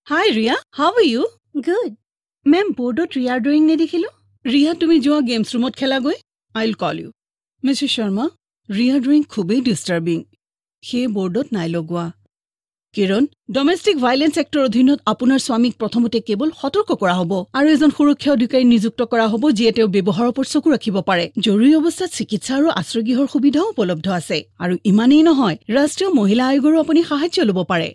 Hi Riya, how are you? Good. Ma'am, বৰ্ডত ৰিয়াৰ drawing নেদেখিলোঁ। ৰিয়া, তুমি যোৱা গেমছ ৰুমত খেলাগৈ। I will call you. Mrs Sharma, Riya drawing খুবেই ডিষ্টাৰ্বিং, সেয়ে বৰ্ডত নাই লগোৱা। কিৰণ, ডমেষ্টিক ভাইলেন্স এক্টৰ অধীনত আপোনাৰ স্বামীক প্ৰথমতে কেৱল সতৰ্ক কৰা হ'ব আৰু এজন সুৰক্ষা অধিকাৰী নিযুক্ত কৰা হ'ব, যিয়ে তেওঁৰ ব্যৱহাৰৰ ওপৰত চকু ৰাখিব পাৰে। জৰুৰী অৱস্থাত চিকিৎসা আৰু আশ্ৰয়গৃহৰ সুবিধাও উপলব্ধ আছে। আৰু ইমানেই নহয়, ৰাষ্ট্ৰীয় মহিলা আয়োগৰো আপুনি সাহায্য ল'ব পাৰে।